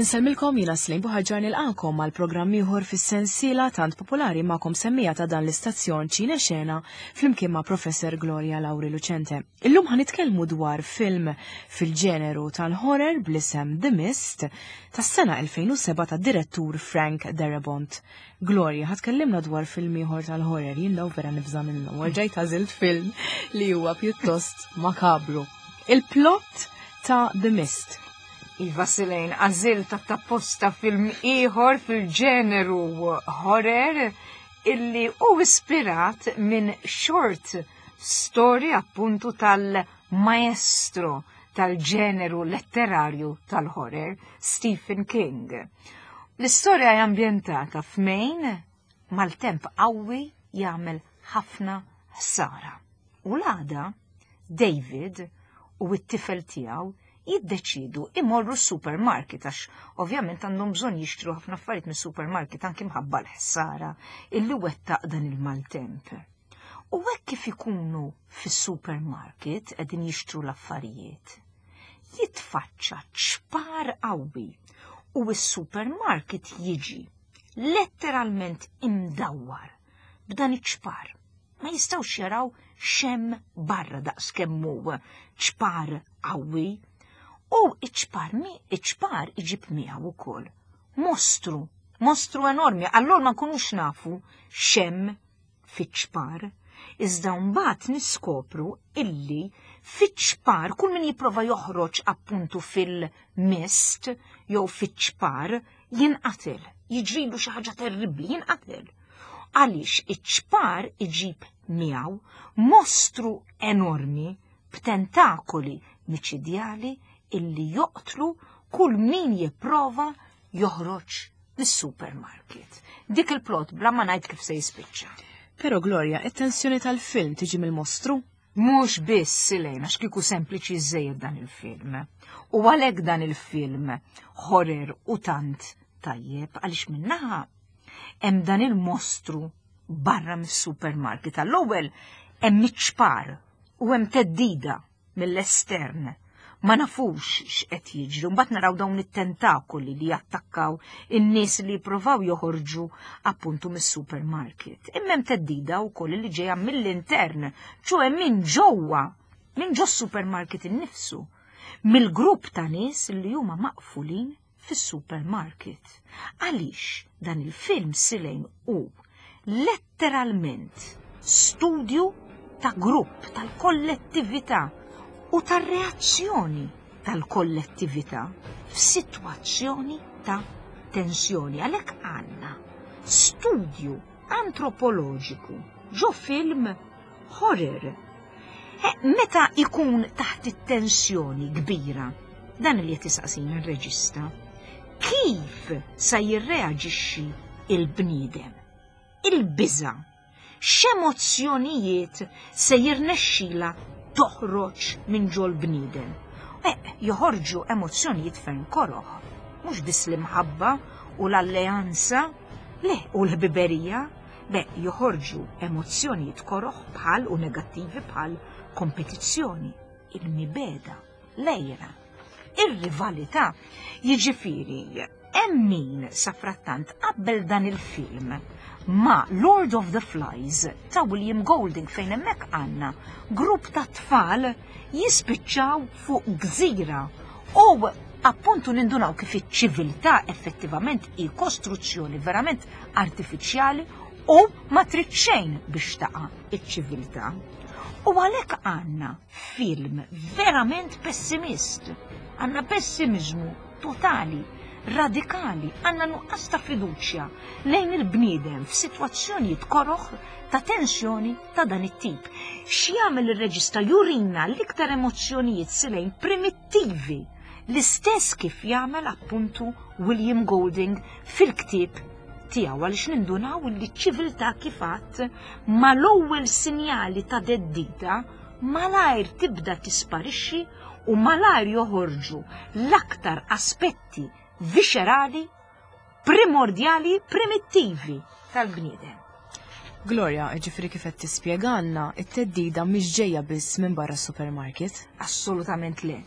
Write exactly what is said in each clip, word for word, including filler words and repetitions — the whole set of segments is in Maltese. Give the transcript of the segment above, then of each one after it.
Insellmilkom, jiena Slim Buħaġar, nilqagħkom għal programm ieħor fis-sensiela tant popolari magħkom semmija ta' dan l-istazzjon, Ċine Xena, flimkien ma' Professor Gloria Lauri Lucente. Illum ħa nitkellmu dwar film fil-ġeneru tal-horror bl-isem The Mist tas-sena elfejn u sebgħa ta' direttur Frank Darabont. Gloria, ħa tkellimna dwar film ieħor tal-horror, jien daw vera nibża' minnu, erġajt għażilt film li huwa pjuttost makabru. Il-plot ta' The Mist. Iva Silejn, għażilt apposta film ieħor fil-ġeneru horror illi hu ispirat minn short story appuntu tal-maestro tal-ġeneru letterarju tal-horror, Stephen King. L-istorja hija ambjentata f'Maine, maltemp qawwi jagħmel ħafna ħsara. U l-għada, David u t-tifel tiegħu jiddeċidu imorru supermarket għax ovvjament għandhom bżonn jixtru ħafna affarijiet mis-supermarket anki mħabba l-ħsara illi wettaq dan il-maltemp. U hekk kif ikunu fis-supermarket qegħdin jixtru l-affarijiet, jitfaċċa ċpar qawwi u s-supermarket jiġi letteralment imdawwar b'dan iċ-ċpar. Ma jistgħux jaraw x'hemm barra daqs kemm hu ċpar qawwi. U iċ-ċpar mi iċ-ċpar iġib miegħu wkoll mostru, mostru enormi. Allura ma nkunux nafu x'hemm fiċ-ċpar. Iżda mbagħad niskopru illi fiċ-ċpar kull min jipprova joħroġ appuntu fil-mist jew fiċ-ċpar jinqatel, jiġrilu xi ħaġa terribbli, jinqatel. Għaliex iċ-ċpar iġib miegħu mostru enormi b'tentakoli miċidjali illi joqtlu kull min jipprova joħroġ mis-supermarket. Dik il-plot, bla ma ngħid kif se jispiċċa. Pero Gloria, it-tensjoni tal-film tiġi mill-mostru? Mhux biss, Silejna, x'kieku sempliċi żejjed dan il-film. U għalhekk dan il-film horror u tant tajjeb, għaliex minnaħa hemm dan il-mostru barra mis-supermarket. Għall-ewwel hemm iċ-ċpar u hemm theddida mill-estern. Ma nafux x'qed jiġri, mbagħad naraw dawn it-tentakoli li jattakkaw in-nies li jippruvaw joħorġu appuntu mis-supermarket. Imma hemm theddida wkoll li ġejja mill-intern, ċoè minn ġewwa, minn ġo supermarket innifsu, mill-grupp ta' nies li huma maqfulin fis-supermarket. Għaliex dan il-film, Silejn, hu letteralment studju ta' grupp, tal-kollettività u tar-reazzjoni tal-kollettività f'sitwazzjoni ta' tensjoni. Għalhekk għandna studju antropoloġiku ġo film horror. E, meta ikun taħt it-tensjoni kbira, dan li qed jisaqsina r-reġista, kif sa jirreaġixxi il-bniedem? Il-biża, x'emozzjonijiet se jirnexxila toħroġ minn ġol bniedem? E, joħorġu emozzjonijiet ferm koroħ, mhux biss l-imħabba u l-alleanza, le, u l-ħbiberija, be joħorġu emozzjonijiet koroħ bħal u negattivi bħal kompetizzjoni, il-mibegħda, l-għira, ir-rivalità. Jiġifieri, hemm min safrattant qabbel dan il-film ma' Lord of the Flies ta' William Golding, fejn hemmhekk għandna grupp ta' tfal jispiċċaw fuq gżira u appuntu nindunaw kif iċ-ċiviltà effettivament hi kostruzzjoni verament artifiċjali u ma trid xejn biex taqa' iċ-ċiviltà. U għalhekk għandna film verament pessimist. Għandna pessimizmu totali, radikali, għandna nuqqas ta' fiduċja lejn il-bniedem f'sitwazzjonijiet koroħ ta' tensjoni ta' dan it-tip. X'jagħmel ir-reġista? Jurina l-iktar emozzjonijiet, Silejn, primittivi, l-istess kif jagħmel appuntu William Golding fil-ktieb tiegħu, għaliex nindunaw li ċ-ċiviltà kif għadd mal-ewwel sinjali ta' theddida malajr tibda tisparixxi u malajr joħorġu l-aktar aspetti viscerali, primordjali, primittivi tal-bniedem. Gloria, ġifieri kif qed tispjegalna, it-theddida mhix ġejja biss minn barra supermarket. Assolutament le.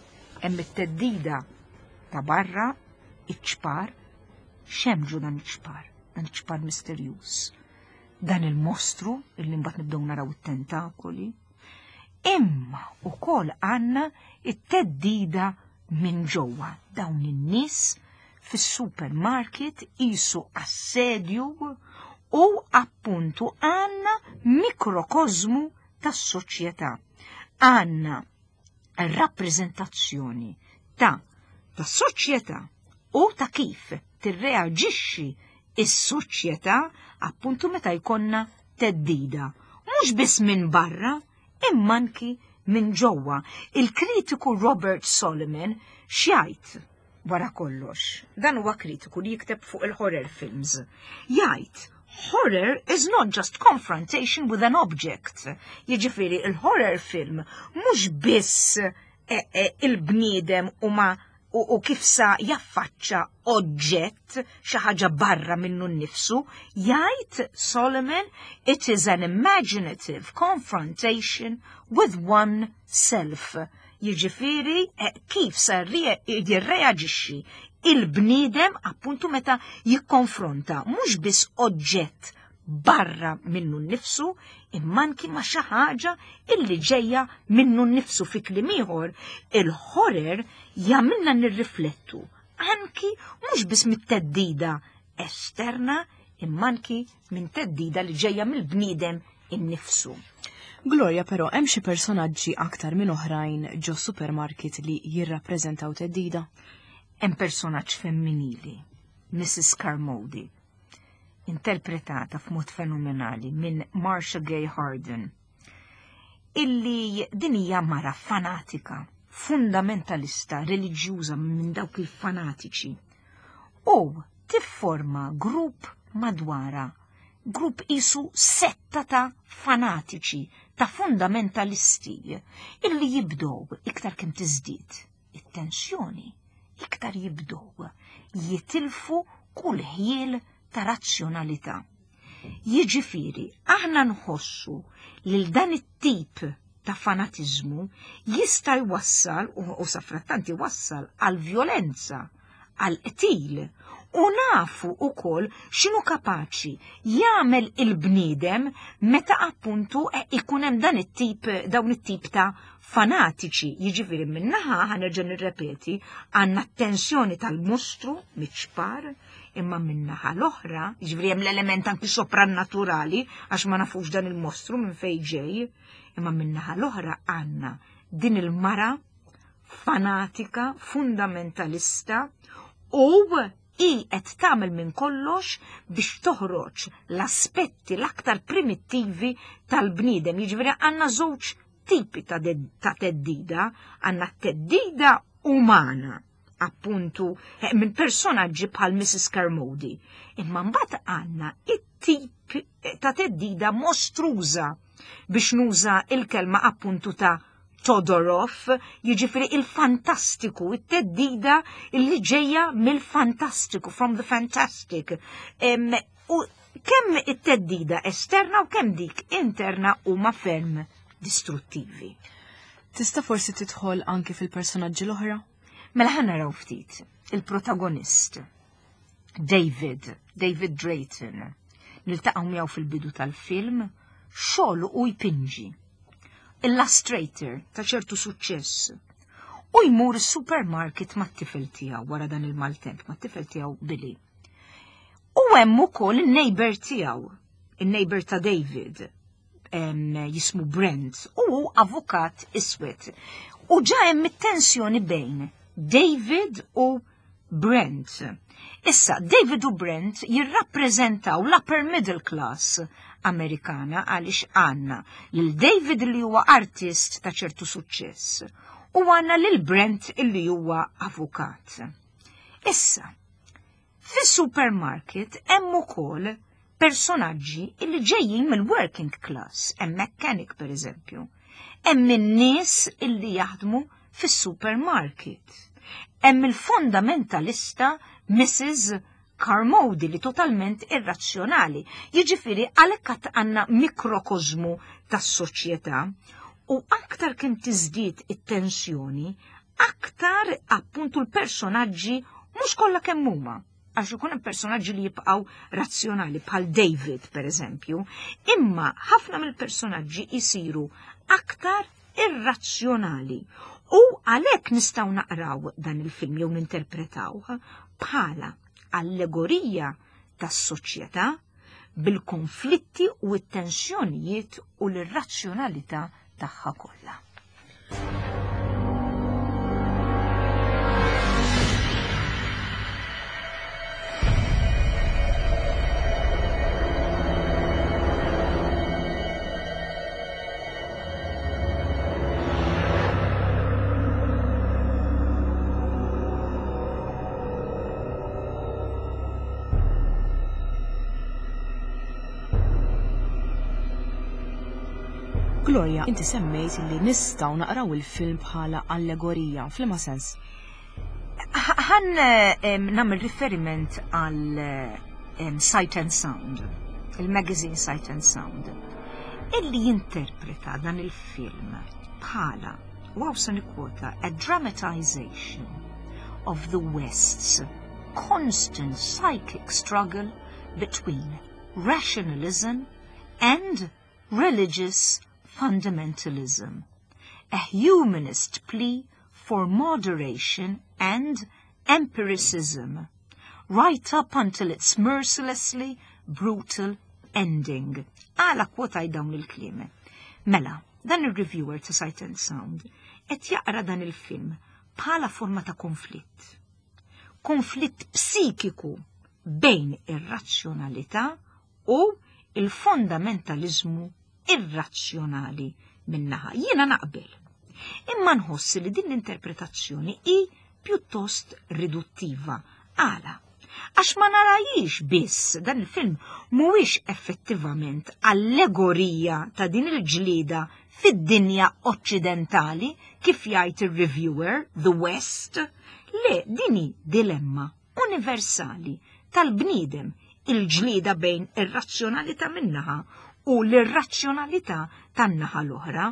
Hemm it-theddida ta' barra. Iċ-ċpar, x'hemm ġo dan iċ-ċpar, dan iċ-ċpar misterjuż. Dan il-mostru illi mbagħad nibdew naraw it-tentakoli. Imma ukoll għandna it-theddida minn ġewwa, dawn in-nies fis-supermarket qisu assedju, u appuntu għandna mikrokozmu tas-soċjetà. Għandna rappreżentazzjoni ta' ta' soċjetà u ta' kif tirreaġixxi is-soċjetà appuntu meta jkollna theddida. Mhux biss minn barra, imma anki minn ġewwa. Il-kritiku Robert Solomon x'jgħid wara kollox? Dan huwa kritiku li jikteb fuq il-horror films. Jgħid, "Horror is not just confrontation with an object." Jiġifieri il-horror film mhux biss eh, eh, il-bniedem u ma u, u kif sa jaffaċċa oġġett, xi ħaġa barra minnu nnifsu, jgħid Solomon, "It is an imaginative confrontation with one self." Jiġifieri eh, kif sa jirreaġixxi il-bniedem appuntu meta jikkonfronta mhux biss oġġett barra minnu nnifsu, imma anki ma' xi ħaġa illi ġejja minnu nnifsu. Fi kliem ieħor, il-horror jagħmilna nirriflettu anki mhux biss mit-theddida esterna, imma anki minn theddida li ġejja mill-bniedem innifsu. Gloria, però hemm xi personaġġi aktar minn oħrajn ġo supermarket li jirrappreżentaw theddida? Hemm personaġġ femminili, Missus Carmody, interpretata f'mod fenomenali minn Marcia Gay Harden, illi din hija mara fanatika, fundamentalista, reliġjuża, minn dawk il-fanatiċi. U tifforma grupp madwara, grupp qisu setta ta' fanatiċi, ta' fundamentalisti, illi jibdow iktar kemm tiżdied it-tensjoni, iktar jibdow jitilfu kull ħjiel ta' razzjonalità. Jiġifieri, aħna nħossu lil dan it-tip ta' fanatizmu jista' jwassal u, u safrattant jwassal għal violenza, għal qtil, u nafu ukoll x'inhu kapaċi jagħmel il-bniedem meta appuntu eh, ikun hemm dan it-tip dawn it-tip ta' fanatiċi. Jiġifieri minnaħa, ħa nerġa' nirrepeti, għandna tensjoni tal-mostru miċ-ċpar, imma minnaħa l-oħra, jiġifieri hemm l-element anki soprannaturali għax ma nafux dan il-mostru minn fejn ġej, imma minnaħa l-oħra għandna din il-mara fanatika, fundamentalista, u i qed tagħmel minn kollox biex toħroġ l-aspetti l-aktar primittivi tal-bniedem. Jiġifieri għandna żewġ tipi ta' ta' theddida, għandna theddida umana, appuntu eh, minn personaġġi bħal Missus Carmody. Imma mbagħad għandna it-tip ta' theddida mostruża, biex nuża il-kelma appuntu ta' Todorov, jiġifieri il-fantastiku, it-theddida li ġejja mill-fantastiku, from the fantastic. Em, u kemm it-theddida esterna u kemm dik interna huma ferm distruttivi. Tista' forsi tidħol anki fil-personaġġi l-oħra? Mela ħa naraw ftit il-protagonist David, David Drayton. Niltaqgħu miegħu fil-bidu tal-film, xogħol u jpinġi. Illustrator ta' ċertu suċċess. U jmur supermarket mat-tifel tiegħu wara dan il-maltemp, mat-tifel tiegħu Billy. U hemm ukoll in-neighbor tiegħu, in-neighbor ta' David, em, jismu Brent, u hu avukat iswed. U ġa hemm it-tensjoni bejn David u Brent. Issa, David u Brent jirrappreżentaw l-upper middle class Amerikana, għaliex għandna lil David li huwa artist ta' ċertu suċċess u għandna lil Brent illi huwa avukat. Issa, fis-supermarket hemm ukoll personaġġi illi ġejjin mill-working class, hemm mechanic per eżempju, hemm in-nies illi jaħdmu fis-supermarket. Hemm il-fundamentalista Missus Carmody li totalment irrazzjonali. Jiġifieri għalhekk għandna mikrokozmu tas-soċjetà, u aktar kemm tiżdied it-tensjoni, aktar appuntu l-personaġġi Mhux kollha kemm huma, għax ikun hemm personaġġi li jibqgħu razzjonali bħal David pereżempju, imma ħafna mill-personaġġi jsiru aktar irrazzjonali. U għalhekk nistgħu naqraw dan il-film jew ninterpretawh bħala allegorija tas-soċjetà bil-konflitti u t-tensjonijiet u l-irrazzjonalità tagħha kollha. Gloria, inti semmejt li nistgħu naqraw il-film bħala allegorija, f'liema sens? Ħan nagħmel riferiment għal Sight and Sound, il-magazine Sight and Sound, illi jinterpreta dan il-film bħala, u hawn se nikkwota, a dramatization of the West's constant psychic struggle between rationalism and religious fundamentalism, a humanist plea for moderation and empiricism, right up until its mercilessly brutal ending. Għala kkwotajt dawn il-kliem. Mela, dan il-reviewer ta' Sight and Sound qed jaqra dan il-film bħala forma ta' konflitt. Konflitt psikiku bejn ir-razzjonalità u il-fondamentalizmu irrazzjonali minnaħa. Jiena naqbel. Imma nħoss li din l-interpretazzjoni hi pjuttost riduttiva. Għala? Għax ma narajix biss dan il-film mhuwiex effettivament allegorija ta' din il-ġlieda fid-dinja oċċidentali kif jgħid ir-reviewer The West, le din hi dilemma universali tal-bniedem, il-ġlieda bejn ir-razzjonalità minnaħa u l-irrazzjonalità tan-naħa l-oħra,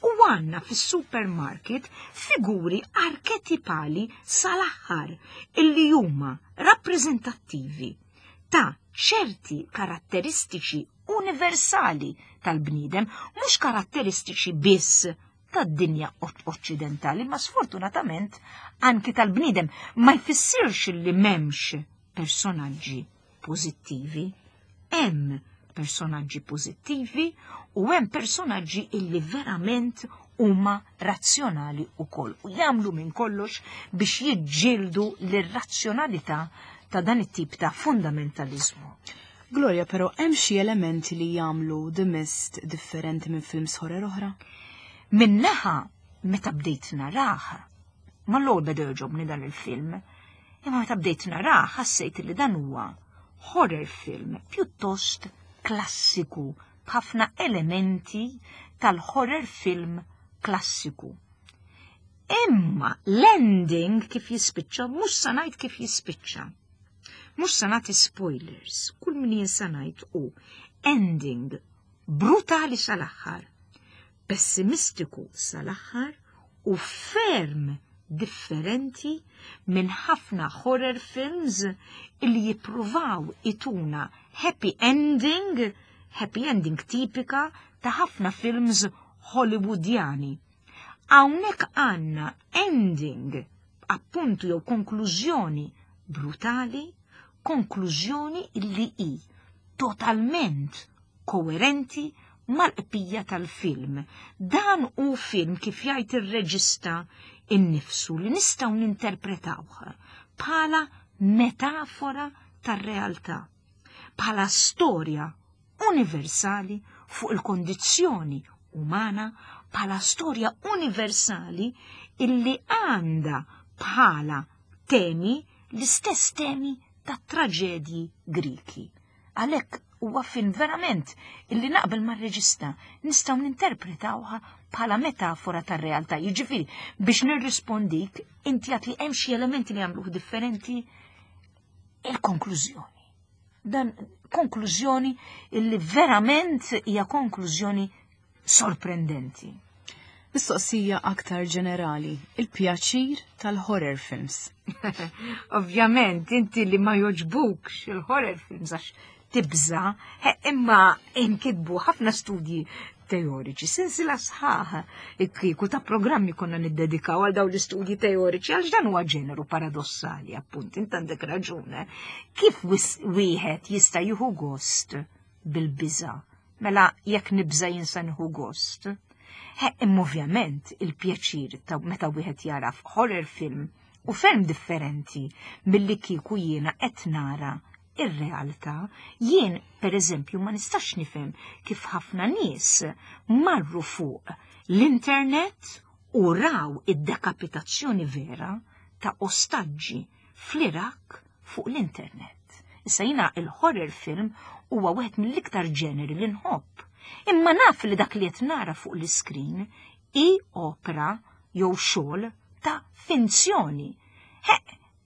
u għandna fis-supermarket figuri arketipali sal-aħħar illi huma rappreżentattivi ta' ċerti karatteristiċi universali tal-bniedem, mhux karatteristiċi biss tad-dinja oċċidentali, ma sfortunatament anki tal-bniedem. Ma jfissirx li m'hemmx personaġġi pożittivi. Hemm personaġġi pożittivi u hemm personaġġi illi verament huma razzjonali wkoll u jagħmlu minn kollox biex jiġġieldu l-irrazzjonalità ta' dan it-tip ta' fundamentalizmu. Gloria, però hemm xi elementi li jagħmlu The Mist differenti minn films horror oħra? Minnaħa, meta bdejt narah, ma l-ewwel beda jogħġobni dan il-film, imma meta bdejt narah ħassejt li dan huwa horror film pjuttost klassiku, b'ħafna elementi tal-horror film klassiku. Imma l-ending kif jispiċċa, mhux sa ngħid kif jispiċċa. Mhux sa nagħti spoilers, kull min jien sa ngħid hu ending brutali sal-aħħar, pessimistiku sal-aħħar u ferm differenti minn ħafna horror films illi jippruvaw ituna happy ending, happy ending tipika ta' ħafna films Hollywoodjani. Hawnhekk għandna ending, appuntu jew konklużjoni brutali, konklużjoni illi hi totalment koerenti mal-qbija tal-film. Dan hu film kif jgħid ir-reġista innifsu li nistgħu ninterpretawh bħala metafora tar-realtà, bħala storja universali fuq il-kondizzjoni umana, bħala storja universali illi għandha bħala temi l-istess temi ta' traġedji Griki. Għalhekk huwa film verament illi naqbel mar-reġista nistgħu ninterpretawha bħala metafora tar-realtà. Jiġifieri biex nirrispondik, inti għat li hemm xi elementi li jagħmluh differenti, il-konklużjoni. Dan konklużjoni illi verament hija konklużjoni sorprendenti. Mistoqsija aktar ġenerali, il-pjaċir tal-horror films. Ovvjament, inti li ma joġbukx il-horror films għax tibża, imma inkitbu ħafna studji teoriċi, sensila sħaħ kieku ta' programmi konna niddedikaw għal dawn l-istudji teoriċi, għax dan huwa ġeneru paradossali, appunt, int għandek raġune. Kif wieħed jista' jieħu gost bil-biża? Mela jekk nibża jinsa nieħu gost. Imma ovvjament il-pjaċir ta' meta wieħed jara horror film u ferm differenti milli kieku jiena qed nara ir-realtà. Jien, per eżempju, ma nistax nifhem kif ħafna nies marru fuq l-internet u raw id-dekapitazzjoni vera ta' ostaġġi fl-Iraq fuq l-internet. Issa jiena il-horror film huwa wieħed mill-iktar ġeneri li nħobb. Imma naf li dak li qed nara fuq l-iskrin hi opera jew xogħol ta' finzjoni.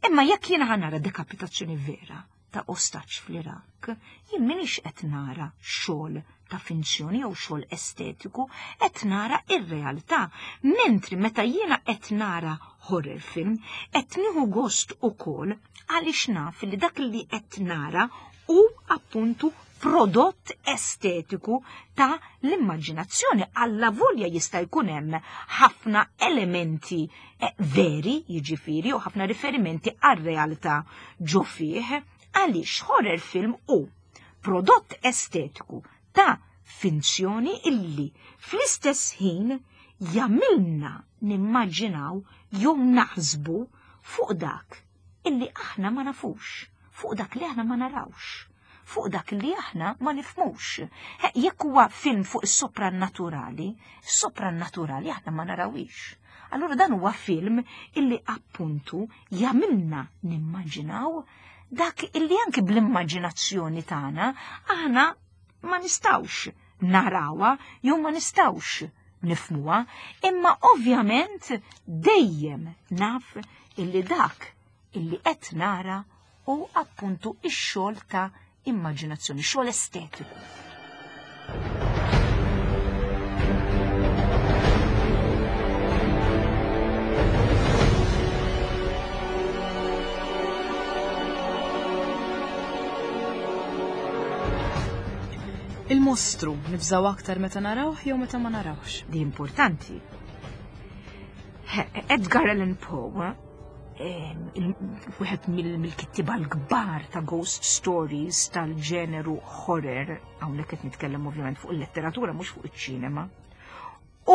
Imma jekk jiena ħa nara dekapitazzjoni vera ta' ostaġġ fl-Iraq, jien m'iniex qed nara xogħol ta' finzjoni jew xogħol estetiku, qed nara ir-realtà. Mentri meta jiena qed nara horror film, qed nieħu gost ukoll għaliex naf li dak li qed nara hu appuntu prodott estetiku ta' l-immaġinazzjoni. Alla volja jista' jkun hemm ħafna elementi veri, jiġifieri, u ħafna riferimenti għar-realtà ġo fih, għaliex horror film hu prodott estetiku ta' finzjoni illi fl-istess ħin jagħmilna nimmaġinaw jew naħsbu fuq dak illi aħna ma nafux, fuq dak li aħna ma narawx, fuq dak li aħna ma nifhmux. Jekk huwa film fuq is-soprannaturali, is-soprannaturali aħna ma narawix. Allura dan huwa film illi appuntu jagħmilna nimmaġinaw dak illi anki bl-immaġinazzjoni tagħna aħna ma nistgħux narawha jew ma nistgħux nifhmuha, imma ovvjament dejjem naf illi dak illi qed nara hu appuntu x-xogħol ta' immaġinazzjoni, xogħol estetiku. Il-mostru nibżaw aktar meta narawh jew meta ma narawx? Di importanti. Edgar Allan Poe, wieħed mill-kittiba l-kbar ta' ghost stories tal-ġeneru horror, hawnhekk qed nitkellem ovvjament fuq il-letteratura mhux fuq iċ-ċinema,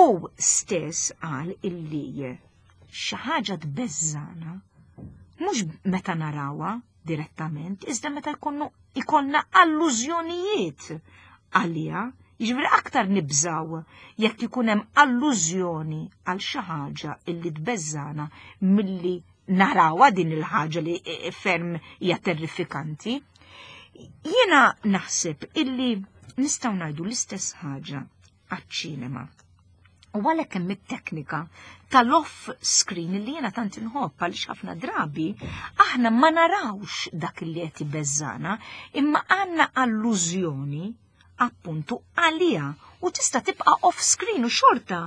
u stess qal illi xi ħaġa tbeżżana mhux meta narawha direttament, iżda meta jkunu ikollna allużjonijiet għaliha, jiġifieri aktar nibżaw jekk ikun hemm allużjoni għal xi ħaġa illi tbeżżana milli narawha din il-ħaġa li ferm hija terrifikanti. Jiena naħseb illi nistgħu ngħidu l-istess ħaġa għaċ-ċinema. U għalhekk hemm it-teknika tal-off screen li jiena tant inħobb, għaliex ħafna drabi aħna ma narawx dak li qed ibeżżana, imma għandna allużjoni appuntu għaliha u tista' tibqa' off screen u xorta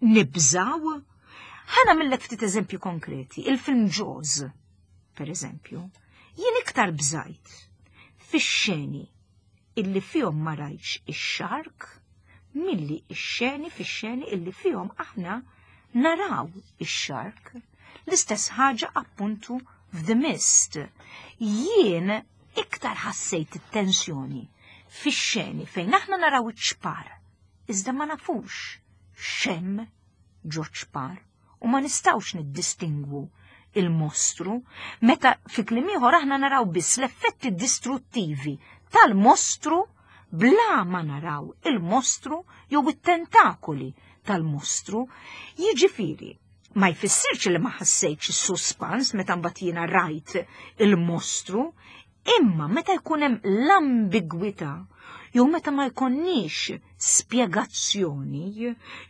nibżaw. Ħa nagħmillek ftit eżempju konkreti, il-film Jaws, per eżempju, jien iktar bżajt fix-xeni illi fihom ma rajtx ix-shark milli ix-xeni fix-xeni illi fihom aħna naraw ix-shark. L-istess ħaġa appuntu f'The Mist. Jien iktar ħassejt it-tensjoni fix-xeni fejn aħna naraw iċ-ċpar, iżda ma nafux x'hemm ġo ċpar u ma nistgħux niddistingwu il-mostru, meta fi kliem ieħor aħna naraw biss l-effetti distruttivi tal-mostru bla ma naraw il-mostru jew it-tentakoli tal-mostru. Jiġifieri, ma jfissirx li ma ħassejtx is-suspans meta mbagħad jiena rajt il-mostru, imma meta jkun hemm l-ambigwità jew meta ma jkunniex spjegazzjoni,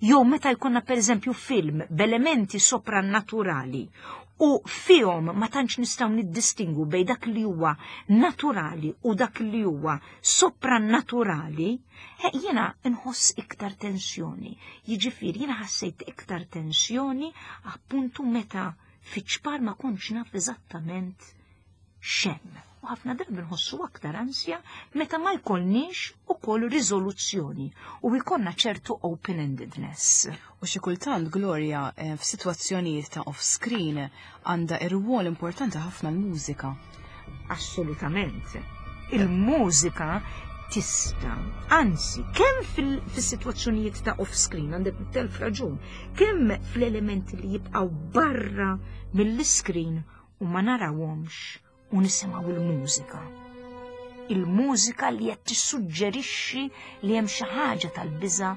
jew meta jkollna pereżempju film b'elementi soprannaturali U fihom ma tantx nistgħu niddistingu bejn dak li huwa naturali u dak li huwa soprannaturali, jiena nħoss iktar tensjoni. Jiġifieri jiena ħassejt iktar tensjoni appuntu meta fiċ-ċpar ma kontx naf eżattament x'hemm. U ħafna drabi nħossu aktar ansja meta ma jkollniex ukoll riżoluzzjoni u jkollna ċertu open-endedness. U xi kultant, Gloria, eh, f'sitwazzjonijiet ta' off-screen għandha irwol importanti ħafna l-mużika. Assolutament. Il-mużika tista, anzi, kemm fis-sitwazzjonijiet ta' off-screen, għandek telf raġun, kemm fl-elementi li jibqgħu barra mill-screen u ma narawhomx u nisimgħu il-mużika. Il-mużika li qed tissuġġerixxi li hemm xi ħaġa tal-biża'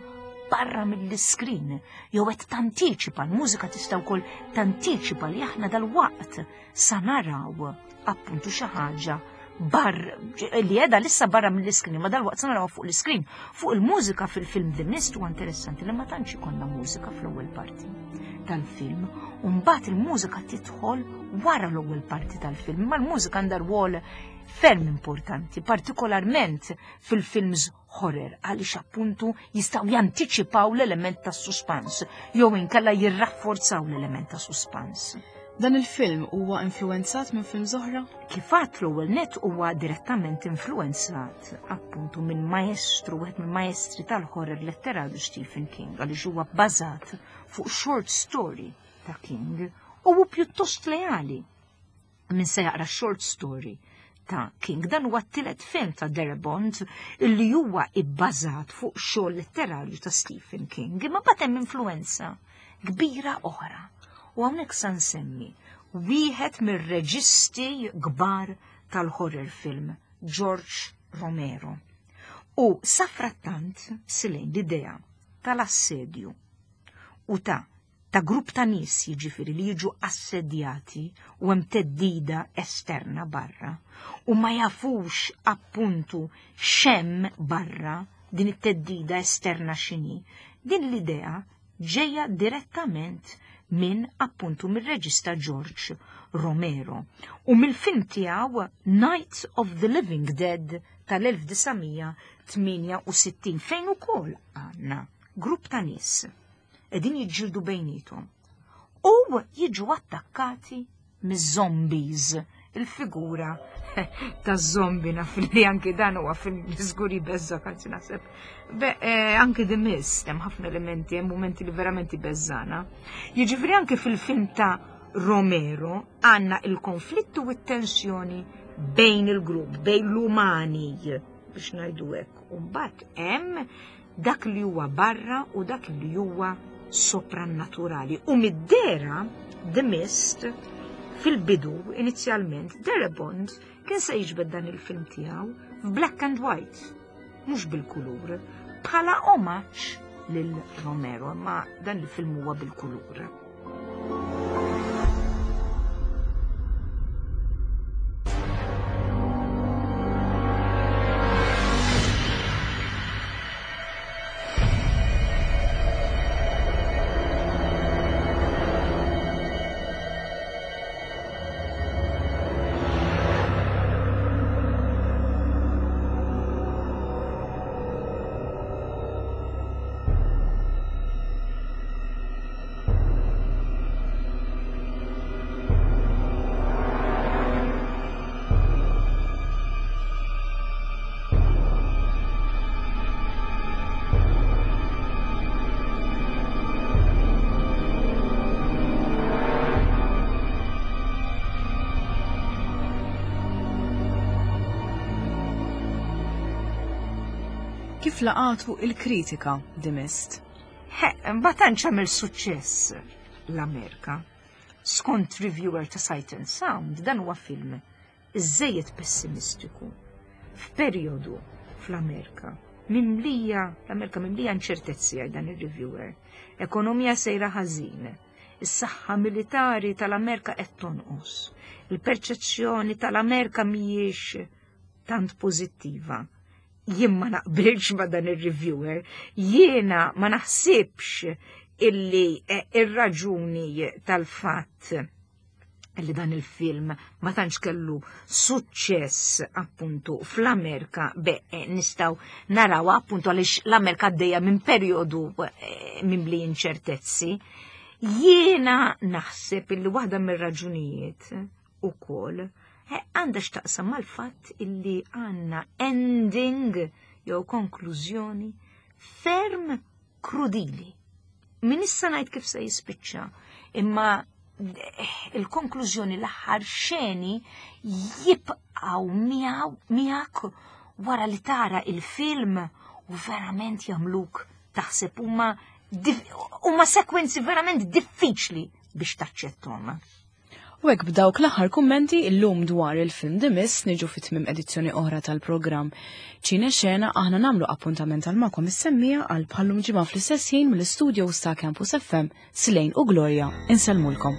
barra mill-iskrin, jew qed tantiċipa, l-mużika tista' wkoll tantiċipa li aħna dal-waqt sa naraw appuntu xi ħaġa bar li qiegħda lissa barra mill-iskrin, ma dal-waqt sa naraw fuq l-iskrin. Fuq il-mużika fil-film The Mist huwa interessanti li ma tantx ikollna mużika fl-ewwel parti tal-film, u mbagħad il-mużika tidħol wara l-ewwel parti tal-film, ma l-mużika għandha rwol ferm importanti, partikolarment fil-films horror, għaliex appuntu jistgħu jantiċipaw l-element ta' suspans, jew inkella jirrafforzaw l-element ta' suspans. Dan il-film huwa influenzat minn film oħra? Kif għadt l-ewwel net huwa direttament influenzat appuntu minn maestru, wieħed minn maestri tal-horror letterarju Stephen King, għaliex huwa bbażat fuq short story ta' King u hu pjuttost leali. Min se jaqra short story ta' King, dan huwa t-tielet film ta' Darabont illi huwa ibbażat fuq xogħol letterarju ta' Stephen King, imma mbagħad hemm influenza kbira oħra. U hawnhekk sa nsemmi wieħed mir-reġisti kbar tal-horror film, George Romero. U safrattant silejn l-idea tal-assedju u ta' ta' grupp ta' nies jiġifieri li jiġu assedjati u hemm teddida esterna barra u ma jafux appuntu x'hemm barra din it-teddida esterna x'inhi. Din l-idea ġejja direttament minn appuntu mir-reġista George Romero u mill-film tiegħu Night of the Living Dead tal-elf disa' mija tmienja u sittin fejn ukoll għandna grupp ta' nies qegħdin jiġġieldu bejniethom u jiġu attakkati miż-zombies, il-figura ta' zombi naf li anki dan huwa film li żgur jbeżża, anzi naħseb. Be, eh, anki The Mist hemm ħafna elementi, hemm momenti li verament jbeżżana. Jiġifieri anki fil-film ta' Romero għandna il-konflittu u t-tensjoni bejn il-grupp, bejn l-umani, biex ngħidu hekk. U mbagħad hemm dak li huwa barra u dak li huwa soprannaturali. U mid-dera The Mist fil-bidu inizjalment Darabont kien se jiġbed dan il-film tiegħu f'black and white, mhux bil-kulur, bħala omaġġ lil Romero, ma dan il-film huwa bil-kulur. Kif laqatu il-kritika The Mist? He, ma tantx għamel suċċess l-Amerika. Skont reviewer ta' Sight and Sound, dan huwa film iżejjed pessimistiku. F'perjodu fl-Amerika mimlija, l-Amerika mimlija inċertezzi għal dan ir-reviewer. Ekonomija sejra ħażin, is-saħħa militari tal-Amerika qed tonqos, il-perċezzjoni tal-Amerika mhijiex tant pożittiva. Jien ma naqbilx ma dan ir-reviewer, jiena ma naħsibx illi, eh, ir-raġuni tal-fatt Li dan il-film ma tantx kellu suċċess appuntu fl-Amerika, be eh, nistgħu naraw appuntu għaliex l-Amerika għaddejja minn perjodu eh, mimli inċertezzi. Jiena naħseb illi waħda mir-raġunijiet ukoll eh, għandha x'taqsam mal-fatt illi għandna ending jew konklużjoni ferm krudili. Min issa ngħid kif se jispiċċa, imma il-konklużjoni, l-aħħar xeni jibqgħu miegħek wara li tara il-film u verament jagħmluk taħseb. huma huma sekwenzi verament diffiċli biex taċċettom. U hekk, b'dawk l-aħħar kummenti illum dwar il-film The Mist, niġu fit tmim edizzjoni oħra tal-programm Ċine Xena. Aħna nagħmlu appuntament għal magħkom is-semmiegħa għal bħallum ġimgħa fl-istess ħin. Mill-istudio ta' Campus F M, Silejn u Gloria insellmulkom.